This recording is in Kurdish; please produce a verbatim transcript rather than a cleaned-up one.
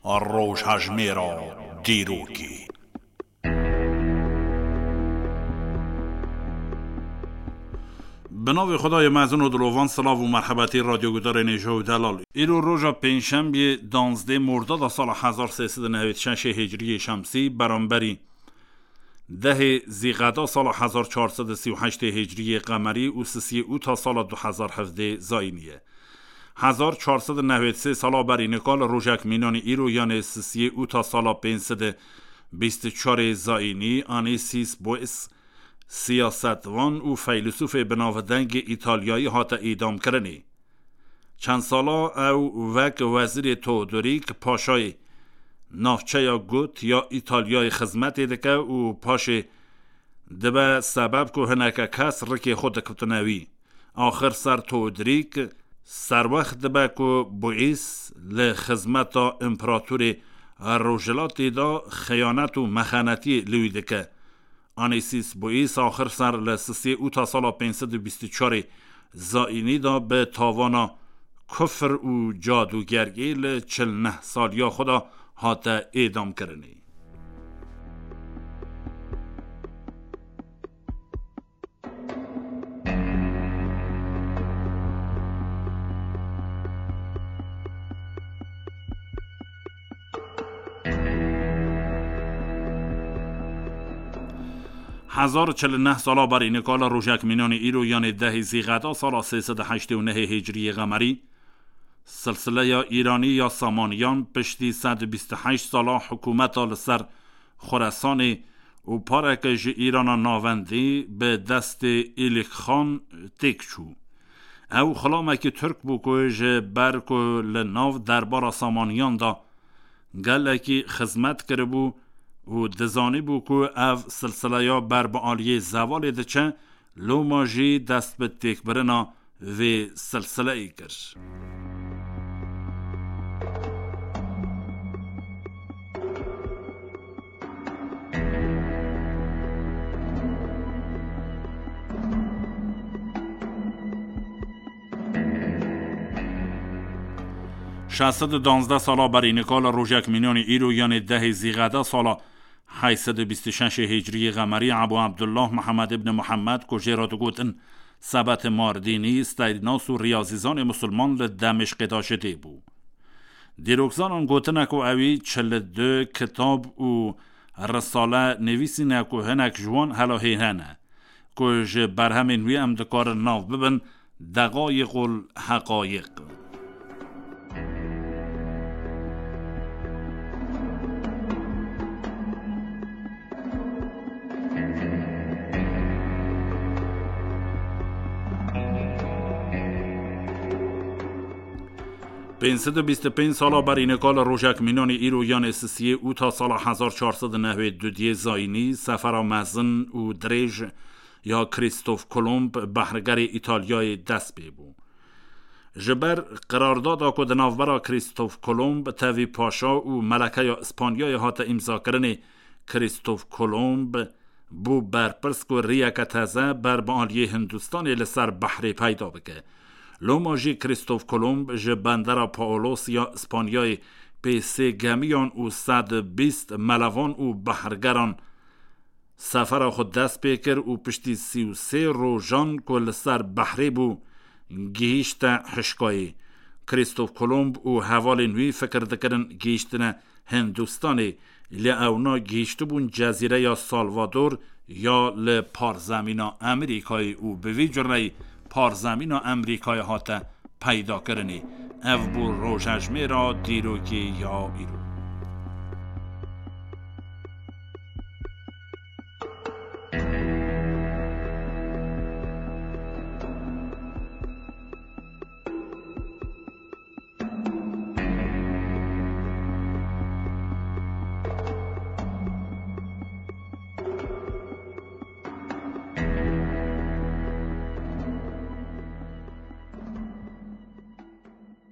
Rojhejmêra dîrokê. Bi navê Xwedayê mezin û dilovan, silav û merhebetî radyogudarên hêja û delal. Îro roja pêncşembiyê, danzdê Mordada sala hezar sê sed û nehwêd şeşê Hicriyê Şemsî, beramberî dehê Zîqeda sala hezar çar sed û sî û heştê Hicriyê Qemerî û sisiyê Ûta sala du hezar hevdê Zayînî ye. Hezar çar sed û nehwêd sê sala berî nika li rojek mînanî îro, yanê sisiyê Ûta sala pênc sed û bîst û çarê Zayînî, Anîsîs Bois, siyasetvan û feylisûfê binavdengê Îtalyayî hate îdamkirinê. Çend sala ew wek wezîrê Teodorîk Paşayê navçeya Got ya Îtalyayê xizmetê dike û paşê dibe sebeb ku hineke kes rikê xwe dikutine wî. Axir ser Teodorîk serwext dibe ku Bois li xizmeta împeratorê Rojhilatê de xeyanet û mexenetiyê li wî dike. Anîsîs Bois axir ser li sisê Ûta sala pênc sed û bîst û çarê Zayînî de bi tawana kufr û cadûgergî li çil neh saliya xwe de hate êdamkirinê. Hezar çil û neh sala berî nika li rojek mînanê îro, yanê dehê Zîqeda sala sê sed û heştê û nehê Hicriyê Qemerî, silsileya Îranî ya Samaniyan piştî sed û bîst û heşt sala hikûmeta li ser Xuresanê û pareke ji Îrana Navendî bi destê Îlîkxan têk çû. Ew xilamekî Tirk bû ku ji ber ku li nav derbara Samaniyan de gelekî xizmet kiribû û dizanîbû ku ev silsileya ber bi aliyê zevalê diçe, loma jî dest bi têkbirina vê silsileyê kir. Şeş sed û danzdeh sala berî nika li rojek mînanî îro, yanê dehê Zîqeda sala heyt sed û bîst û şeşê Hicriyê Qemerî, Ebû Ebdullah Mihemed ibn Mihemed, ku jê re digotin Sebetê Mardînî, steyrnas û riyazîzanê misilman, li Demîşqê de ji dê bû. Dîrokzanan gotine ku ewî çil û du kitab û risale nivîsîne ku hinek ji wan helahêne ne, ku ji berhemên wî em dikarin nav bibin Deqayiqul Heqayiq. Pênc sed û bîst û pênc sala berî nika li rojek mînanî îro, yanê sisiyê Ûta sala hezar çar sed û nehwêd û duyê Zayînî, sefera mezin û dirêj ya Krîstof Kolomb, behrgerê Îtalyayê, dest pê bû. Ji ber qirardada ku di navbera Krîstof Kolomb, tevî paşa û melekeya Îspanyayê hate îmzakirinê, Krîstof Kolomb bû berpirs ku riyeke teze ber bi aliyê Hindistanê li ser behrê peyda bike. Loma jî Krîstof Kolomb ji bendera Paolos ya Îspanyayê pê sê gemiyan û sed û bîst melevan û behrgeran sefera xwe dest pê kir û piştî sî û sê rojan ku li ser behrê bû, gihîşte hişkayê. Krîstof Kolomb û hevalên wî fikir dikirin gihîştine Hindistanê, lê ewna gihîştibûn cezîreya Salvador ya li parzemîna Amerîkayê û bi vî cureyî parzemîna Amerîkayê hate peydakirinê. Ev bû rojejmêra dîrokê ya îro.